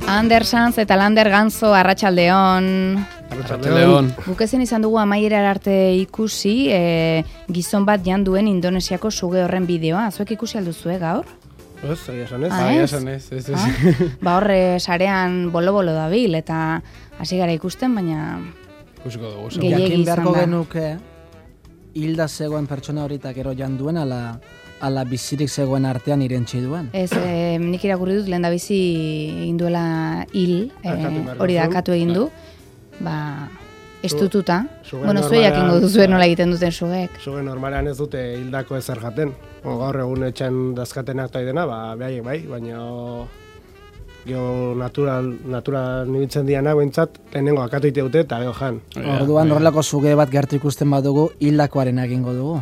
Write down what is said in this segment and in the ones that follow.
Ander Sanz eta Lander Ganzo, arratsaldeon. Arratsaldeon. Guk ezin izan dugu amaiera arte ikusi, gizon bat jan duen Indonesiako suge horren bideoa. Zuek ikusi alduzue gaur? Ez, esan ez. Esan ez. Ba horre sarean bolo-bolo dabil, eta hasi gara ikusten, baina Ikusiko dugu. gehiegi Jakin izan beharko da. genuke, hilda zegoen pertsona horitak ero jan duen, ala bizirik zegoen artean irentsi duen. Ez, nik irakurri dut lehen da bizi egin duela hil, Arkatu behar hori da duzun. akatu egin du, ba, estututa. Suge Bueno, zuek normalean- jakingo duzue nola egiten duten sugek. Zuge normalean ez dute hildako ezer jaten. Gaur egun etxen dazkatenak taidena, ba, behaiek bai, baina gero natural nibitzen dianak behintzat, lehenengo akatu ite dute eta gero jan. Orduan horrelako zuge bat gertu ikusten badugu, hildakoaren egingo dugu.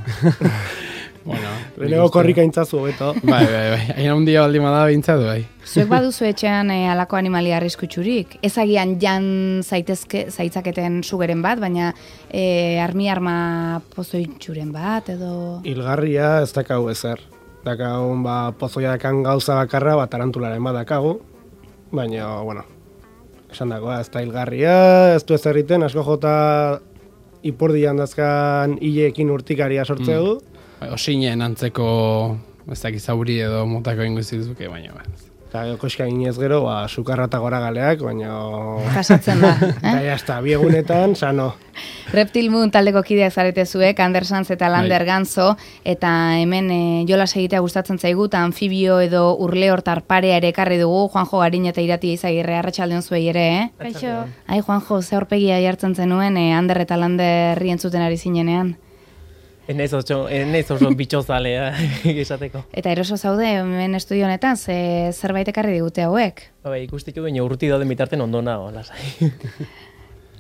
Bueno, Lehenengo korrika intzazu, hobeto. Bai. Hain handia baldin bada bintzatu, bai. Zuek baduzu etxean halako animalia arriskutsurik. Ez agian jan zaitzaketen sugeren bat, baina arma pozoitxuren bat, edo... Hilgarria ez dakau ezer. Dakau, ba, pozoia dakan gauza bakarra, ba, tarantularen bat dakagu. Baina, bueno, esan dagoa, ez da hilgarria, ez du ez erriten, asko jota ipurdian dazkan hileekin urtikaria sortzeu. Bai, osinen antzeko, ez dakiz zauri edo motako ingo izizuke, baina ba. Eta koska ginez gero, ba, sukarra eta gora galeak, baina... Jasatzen da, Eta jazta, biegunetan, sano. Reptil Moon taldeko kideak zarete zuek, Ander Sanz eta Lander Bai. Ganzo, eta hemen jolas egitea gustatzen zaigu, eta anfibio edo urleortar parea ere ekarri dugu, Juanjo Garin eta Irati Izagirre, arratsaldeon zuei ere, Kaixo. Ai, Juanjo, ze aurpegia jartzen zenuen, Ander eta Landerri entzuten ari zinenean. Enez oso bitxozalea esateko. Eta eroso zaude, hemen estudio honetan, zerbait ekarri digute hauek. Bai, ikustitu baina urruti dauden bitarten ondo nago, lasai.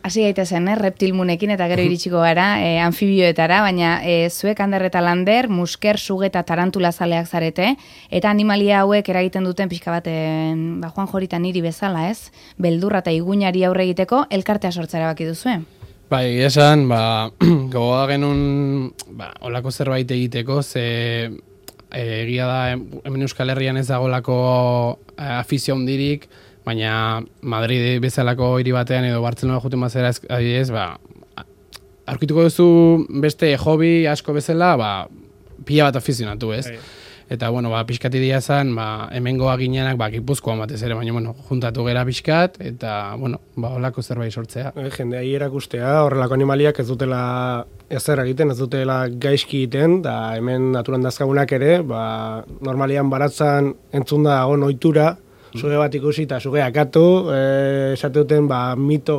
Hasi gaitezen, Reptil Moonekin eta gero iritsiko gara, anfibioetara, baina zuek Ander eta Lander, musker, suge eta tarantula zaleak zarete, eta animalia hauek eragiten duten pixka bat, ba, Juan Jorita niri bezala, ez? Beldurra eta iguinari aurre egiteko elkartea sortzera baki duzue. Bai, esan, ba, gogoa genuen, ba, olako zerbait egiteko, ze egia da, hemen Euskal Herrian ez dagolako afizio handirik, baina Madrid bezalako hiri batean edo Bartzelona juten bazera adibidez, ba, aurkituko duzu beste hobby asko bezala, ba, pila bat afizionatu, ez? Eta, bueno, ba, pixkati dia zen, ba, hemengoa ginenak, ba, Gipuzkoan batez ere, baina, bueno, juntatu gera pixkat, eta, bueno, ba, olako zerbait sortzea. Jendea erakustea, horrelako animaliak ez dutela ezer egiten, ez dutela gaizki egiten, da hemen naturan dazkagunak ere, ba, normalian baratzan entzun da dagoen ohitura, suge bat ikusi eta suge akatu, esate duten, ba, mito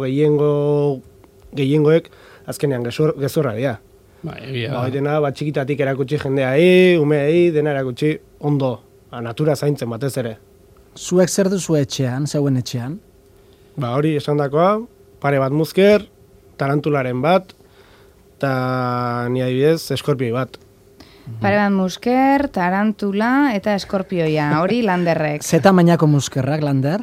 gehiengoek azkenean gezurra dira. Ba, egia Ba, da. dena, ba, txikitatik erakutsi jendeai, umeei, dena erakutsi ondo, ba, natura zaintzen batez ere. Zuek zer duzu etxean, zeuen etxean? Ba, hori esandakoa, pare bat musker, tarantularen bat, eta ni adibidez, eskorpioi bat. Pare bat musker, tarantula eta eskorpioia, hori Landerrek. Ze tamainako muskerrak, Lander?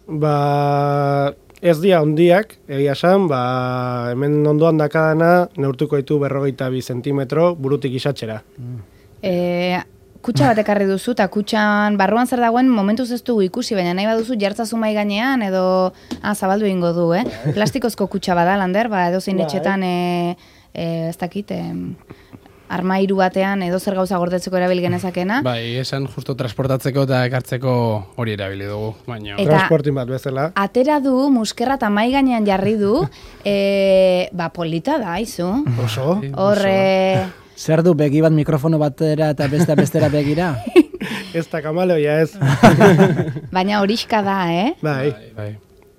Ba, ez dira hondiak, egia esan, ba, hemen ondoan dakadana, neurtuko ditu 42 zentimetro burutik isatxera. Kutxa bat ekarri duzu, eta kutxan barruan zer dagoen momentuz ez dugu ikusi, baina nahi baduzu jartzazu mai gainean, edo zabaldu egingo du, Plastikozko kutxa bada, Lander, ba, edo zein etxetan, ez dakit, armairu batean edo zer gauza gordetzeko erabil genezakena. Bai, esan justo transportatzeko eta ekartzeko hori erabili dugu, baina... Eta- Transportin bat bezala. Atera du, muskerra eta mai gainean jarri du, ba, polita da, izu. Oso. Horre... Zer du begi bat mikrofono batera eta bestera begira? Ez da kamaleoia ez. Baina horixka da, Bai, Bai.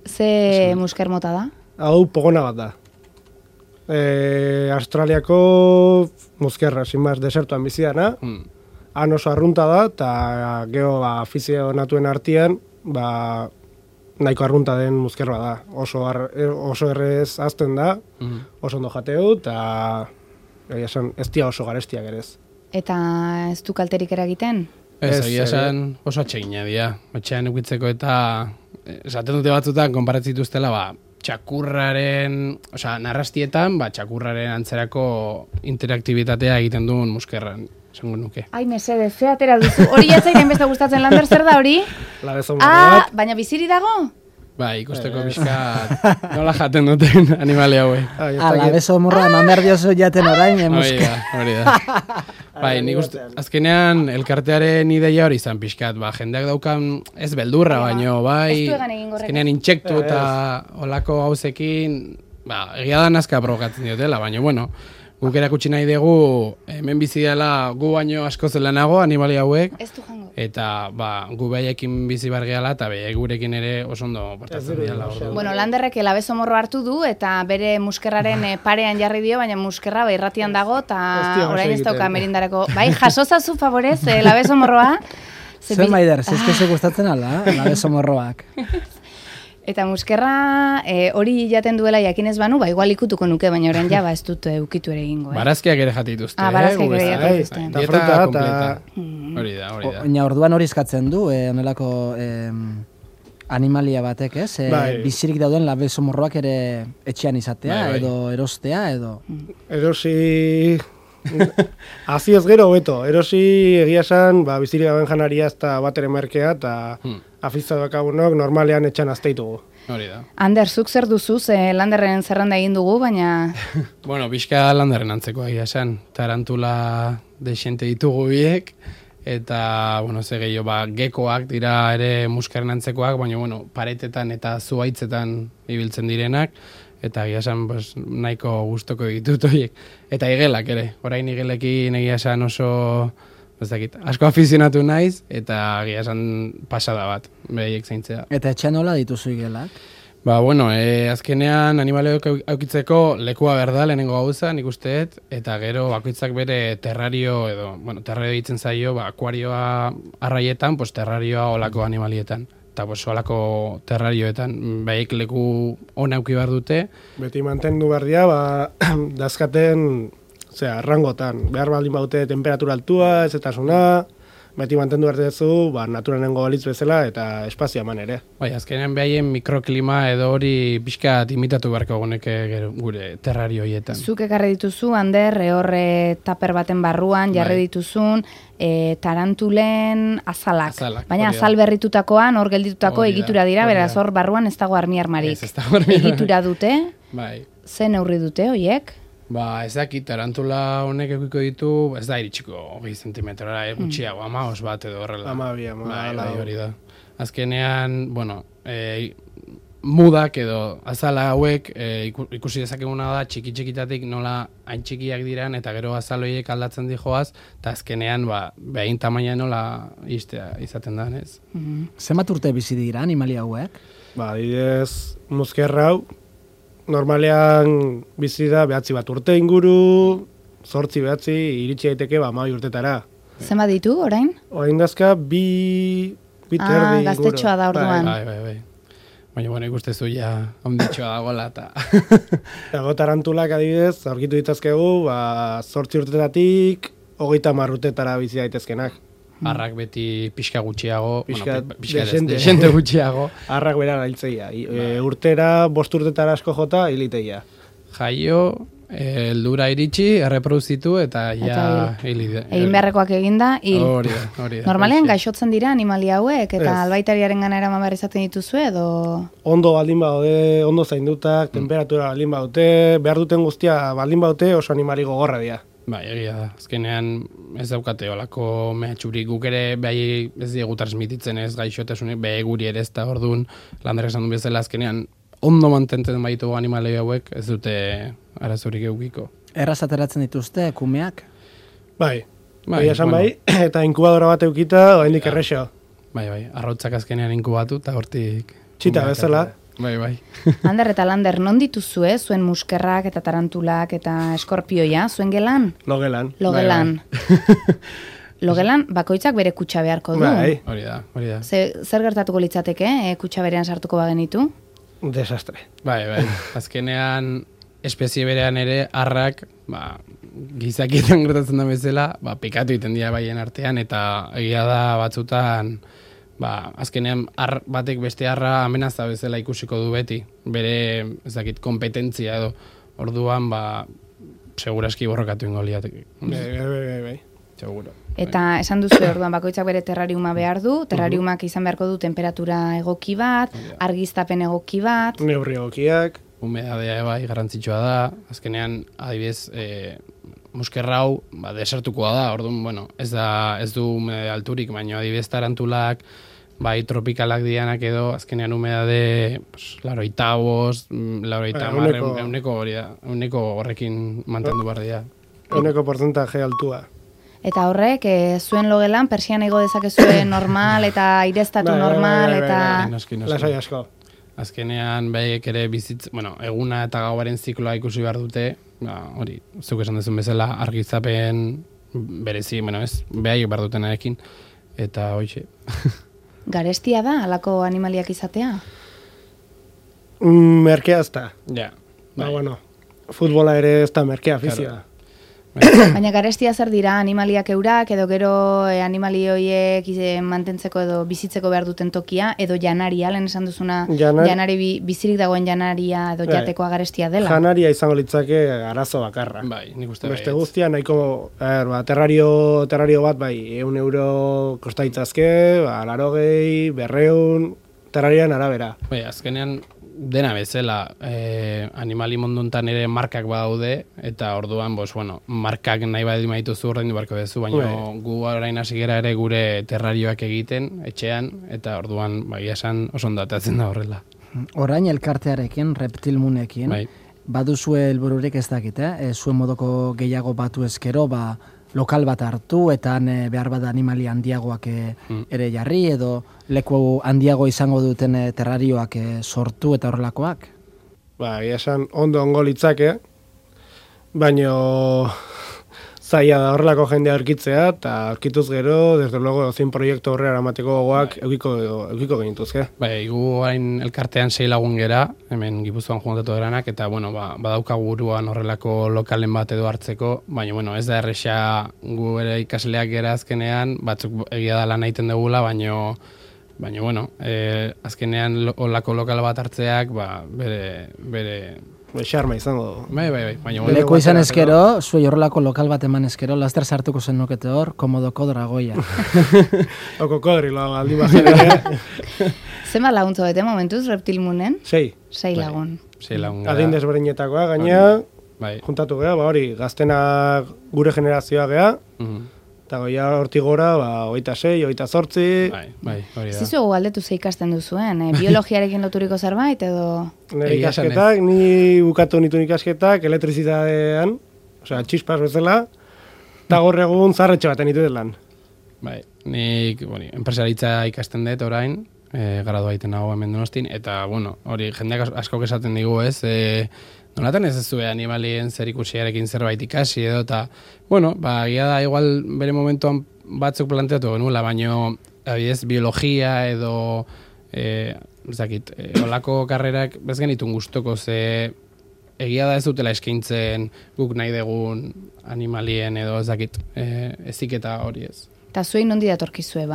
Ze musker mota da? hau pogona bat da. Australiako muskerra, sin más, desertuan bizidana. Han oso arrunta da, eta gero ba, afizionatuen artean, ba, nahiko arrunta den muskerra da. Oso errez azten da, oso ondo jateu, eta ez dira oso garestiak ere ez. Eta ez du kalterik eragiten? Ez, Ez, egia esan oso atsegina dira. Etxean eukitzeko eta esaten dute batzutan konparatzituztela, ba, txakurraren, osea, narrastietan, ba, txakurraren antzerako interaktibitatea egiten duen muskerran, esango nuke. Ai, mesede, ze atera duzu. Hori jatzaiten beste gustatzen, Lander, zer da hori? Labezon bat. Baina biziri dago? Bai, ikusteko pixkat nola jaten duten animali hauek. Beso morroa eman behar diozu jaten orain, Hori da. Bai, nik uste, azkenean elkartearen ideia hori izan pixkat, jendeak daukan ez beldurra, baino, bai, azkenean intsektu eta olako gauzekin, egia da nazka provokatzen diotela, baina, bueno, guk erakutsi nahi dugu, hemen bizi dela gu baino asko zelenago animali hauek, eta gu behaiekin bizi bargeala, eta behaik gurekin ere oso ondo portatzen dira. Bueno, Landerrek labezo morro hartu du, eta bere muskerraren parean jarri dio, baina muskerra irratian dago, eta orain ez dauka merindarako. Bai, jasozazu favorez, labezo morroa. Zer maider, zizkezu gustatzen ala, labezo morroak. Eta muskerra hori jaten duela jakinez banu, igual ikutuko nuke, baina orain ja ez dut ukitu ere egingo. Barazkiak ere jatituzte. Barazkiak ere jatituzte. Dieta kompleta. Hori da. Oina orduan hori eskatzen du, onelako animalia batek, ez? Bizirik dauden labezo morroak ere etxean izatea, edo erostea, edo... Erosi... Hazi ez gero hobeto, erosi egia esan, bizirik dauden janaria ez da bat ere merkea, eta afizatuak agunok normalean etxan azteitugu. Hori da. Ander, zuk zer duzuz, Landerren zerrenda egin dugu, baina... Bueno, pixka Landerren antzeko egia esan, tarantula desente ditugu biek, eta, bueno, ze gehiago, gekoak dira ere muskaren antzekoak, baina, bueno, paretetan eta zuaitzetan ibiltzen direnak, eta egia esan nahiko gustoko ditut horiek. Eta igelak ere, orain igelekin egia esan oso, asko afizionatu naiz, eta egia esan pasada bat, behiek zaintzea. Eta etxean nola dituzu igelak? Bueno, azkenean animaleok aukitzeko lekua berda lehenengo gauza, nik usteet, eta gero bakoitzak bere terrario edo, terrario ditzen zaio, akuarioa arraietan, terrarioa olako animalietan. Eta olako terrarioetan, behik leku ona auki behar dute. Beti mantendu behar dira, dazkaten, rangotan, behar baldin baute temperatura altua, ezetasuna, beti mantendu behar duzu, naturanengo balitz bezala eta espazio eman ere. Azkenean behaien mikroklima edo hori pixkat imitatu beharko goneke gure terrarioietan. Zuk ekarri dituzu, Ander, horre taper baten barruan, jarri dituzun, tarantulen azalak. Baina azal berritutakoan, hor gelditutako egitura dira, beraz hor barruan ez dago armi armarik. Egitura dute, ze neurri dute horiek? Ez dakit, tarantula honek ekiko ditu, ez da iritsiko 20 zentimetrora, gutxiago, 15 bat edo horrela. 12, hori da. Azkenean, mudak edo azala hauek ikusi dezakeguna da txiki-txikitatik nola hain txikiak diran eta gero azal horiek aldatzen dijoaz, eta azkenean behin tamaina nola izaten da, ez? Zenbat urte bizi dira animalia hauek? Adibidez, muskerra hau, normalean bizi da 9 bat urte inguru, 8 iritsi daiteke 12 urtetara. Zenbat ditu orain? Orain dazka 2 terdi inguru. Gaztetxoa da orduan. Bai. Baina, ikustezu ja onditxoa dagoela eta... Dago tarantulak adibidez, aurkitu ditazkegu, 8 urtetatik 30 urtetara bizi daitezkenak. Arrak beti pixka gutxiago, pixka desente gutxiago. Arrak bera gailtzeia. Urtera, 5 urtetara asko jota, hiliteia. Jaio, heldura iritsi, erreproduzitu eta ja hilide. Egin beharrekoak eginda, hil. Hori da. Normalean gaixotzen dira animalia hauek, eta albaitariaren gana eraman behar izaten dituzu edo... Ondo baldin baude, ondo zaindutak, temperatura baldin baute, behar duten guztia baldin baute oso animali gogorra dira. Egia da. Azkenean ez daukate olako mehatxurik guk ere behai ez diegu transmititzen ez gaixotasunik, behe guri ere ez da orduan Landerrek esan du bezala azkenean ondo mantentzen baitu animalei hauek ez dute arazorik eukiko. Erraz ateratzen dituzte kumeak? Bai, esan eta inkubadora bat eukita, oraindik errexo. Bai, arrautzak azkenean inkubatu eta hortik... Txita bezala. Bai. Ander eta Lander, non dituzue, zuen muskerrak eta tarantulak eta eskorpioia, zuen gelan? Logelan. Logelan, bakoitzak bere kutsa beharko du. Bai. Hori da. Zer gertatuko litzateke, kutsa berean sartuko bagenitu? Desastre. Bai. Azkenean, espezie berean ere, arrak, gizakietan gertatzen da bezala, pikatu iten dira baien artean, eta egia da batzutan... azkenean batek beste arra amenaza bezala ikusiko du beti, bere, kompetentzia edo, orduan, seguraski borrokatu ingo liateke. Bai. Seguro. Eta esan duzu orduan bakoitzak bere terrariuma behar du, terrariumak izan beharko du temperatura egoki bat, argiztapen egoki bat. Neurri egokiak. Humedadea bai garrantzitsua da, azkenean adibidez muskerrau desertukoa da, orduan, bueno, ez du humedade alturik, baina adibidez tarantulak, bai tropikalak dianak edo, azkenean humedade, laurogeita bost, laurogeita hamar, ehuneko horrekin mantendu behar dira. Ehuneko porcentaje altua. Eta horrek, zuen logelan, persian ego dezakezue normal, eta aireztatu normal, eta... Lasai asko. Azkenean, behaiek ere eguna eta gauaren zikloa ikusi behar dute, hori, zuk esan duzun bezala, argizapen berezi, behaiek behar dutenarekin, eta hoxe. Garestia da, halako animaliak izatea? Merkea ez da. Ja. Futbola ere ez da merkea afizioa. Baina garestia zer dira, animaliak eurak, edo gero animali horiek mantentzeko edo bizitzeko behar duten tokia, edo janaria, lehen esan duzuna, janari bizirik dagoen janaria edo jatekoa garestia dela. Janaria izango litzake arazo bakarra. Bai, nik uste beste guztia, nahiko, terrario bat, bai, €1 kostaitzazke, 80, 200, terrarian arabera. Bai, azkenean, dena bezala, animali monduntan ere markak badaude, eta orduan, markak nahi badi maituzu ordaindu barko dezu, baina gu orain hasi gera ere gure terrarioak egiten, etxean, eta orduan, esan oso ondatatzen da horrela. Orain elkartearekin, reptilmunekin, baduzue helbururik ez dakit, zuen modoko gehiago batu ezkero, lokal bat hartu, eta behar bada animali handiagoak ere jarri, edo leku handiago izango duten terrarioak sortu eta horrelakoak? Esan ondo litzake, baina zaila da horrelako jendea aurkitzea, eta aurkituz gero, desde luego, zein proiektu horrela eramateko gogoak eukiko genituzke. Gu hain elkartean 6 lagun gera, hemen Gipuzkoan juntatu eranak, eta badaukagu buruan horrelako lokalen bat edo hartzeko, baina ez da erresa gu ere ikasleak gera azkenean, batzuk egia da lan egiten dugula, baina azkenean horrelako lokal bat hartzeak, bere xarma izango. Bai. Leku izan ezkero, zuei horrelako lokal bat eman ezkero, laster sartuko zen nukete hor, komodoko dragoia. Oko kodrilo, aldi bazen. Zenbat laguntzo bete momentuz, reptilmunen? 6. 6 lagun. 6 lagun. Adin desberdinetakoa, gaina, juntatu gea, hori, gaztenak gure generazioa gea, eta goia hortik gora, 26, 28. Bai, hori da. Zizu galdetu ze ikasten duzuen, biologiarekin loturiko zerbait, edo... Nire ikasketak, ni bukatu nituen ikasketak, elektrizitatean, osea, txispas bezala, eta gaur egun zarretxe baten nituen lan. Bai, nik, enpresaritza ikasten dut orain, gradua egiten nago hemen Donostin, eta, hori, jendeak asko esaten digu ez, nolatan ez zuen animalien zer ikusiarekin zerbait ikasi edo, eta, gira da, igual bere momentuan batzuk planteatu genuela, baina, abidez, biologia edo, olako karrerak bez genitun guztoko, ze egia da ez dutela eskaintzen guk nahi dugun animalien edo eziketa hori ez. Eta zuei nondi datorkizue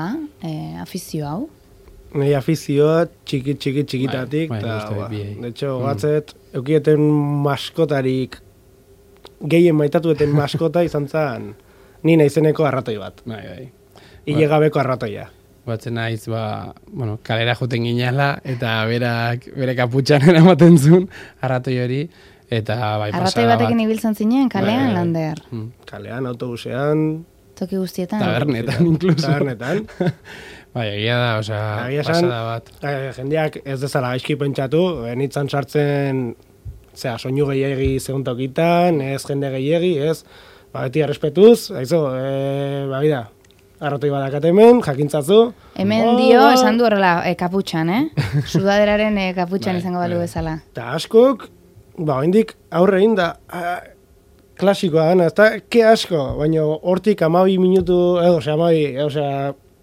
afizio hau? Nei afizioa txikitatik, eta, de hecho, batzet, eukieten maskotarik, gehien maitatueten maskota izan zen, ni naizeneko arratoi bat. Ilegabeko arratoia. Batzen naiz, kalera joten ginala, eta bere kaputxan eramaten zuen arratoi hori, eta pasada bat. Arratoi batekin ibiltzen zinen, kalean, Lander? Kalean, autobusean... Toki guztietan? Tabernetan, inkluso. Tabernetan. Egia da, pasada bat. Jendeak ez dezala gaizki pentsatu, nitzan sartzen, soinu gehiagi seguntokitan, ez jende gehiagi, ez, beti errespetuz, bida, arrotoi badakat hemen, jakintzazu. Hemen dio, esan du horrela, kaputxan, Sudaderaren kaputxan izango balu bezala. Eta askok, hendik aurre egin da, klasikoa gana, ez da, ke asko, baina hortik 12 minutu,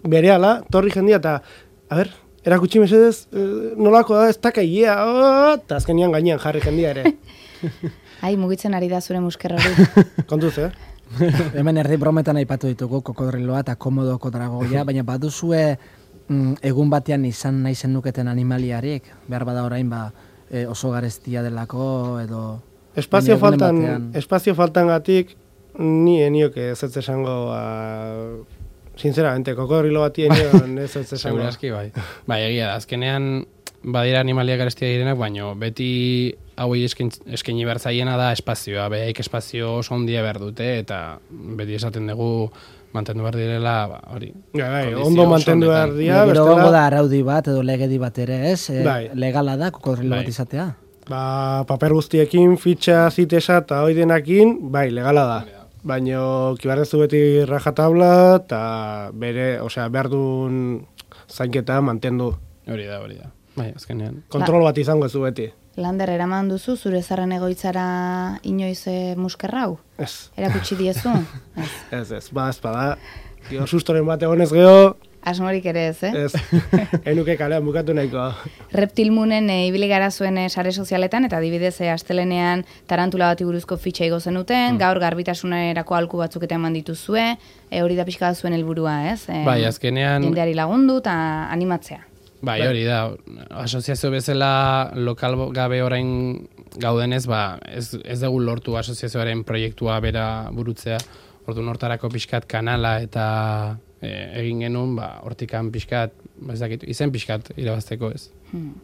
berehala, torri jendia, eta, erakutsi mesedez, nolako da, ez takaia, eta azkenian gainean jarri jendia ere. Ai, mugitzen ari da zure muskerra hori. Kontuz, Hemen erdi brometan aipatu ditugu kokodriloa eta komodoko dragoia, baina baduzue egun batean izan nahi zenuketen animaliarik, behar bada orain oso garestia delako, edo... Espazio faltan gatik, Ni enioke ez esango, sinceramente, kokodrilo bati enion ez esango. Segurazki, bai. Bai, egia da, azkenean badira animaliak garestia direnak, baina beti hauei eskaini behar zaiena da espazioa, behaik espazio oso handia behar dute, eta beti esaten dugu mantendu behar direla, hori. Ondo mantendu behar dira, bestela. Gero da araudi bat edo legedi bat ere, ez? Legala da kokodrilo bat izatea? Paper guztiekin, fitxa, zitesa eta hoi denakin, legala da. Baina kibarrezu beti rajatabla eta behar duen zainketa mantendu. Hori da. Bai, azkenean. Kontrol bat izango zu beti. Lander, eraman duzu, zure zarren egoitzara inoiz muskerra hau? Ez. Erakutsi diezu? Ez, bada. Sustoren bat egonez geho. Asmorik ere ez, Ez, enuke kalean bukatu nahiko. Reptilmunen ibili gara zuen sare sozialetan, eta adibidez astelenean tarantula bati buruzko fitxa igo zenuten, gaur garbitasunerako alku batzuk eta eman dituzue, hori da pixka zuen helburua, ez? Bai, azkenean... Jendeari lagundu eta animatzea. Bai, hori da, asoziazio bezala lokal gabe orain gaudenez, ez dugu lortu asoziazioaren proiektua bera burutzea, ordu nortarako pixkat kanala eta egin genuen, hortikan pixkat, izen pixkat irabazteko ez.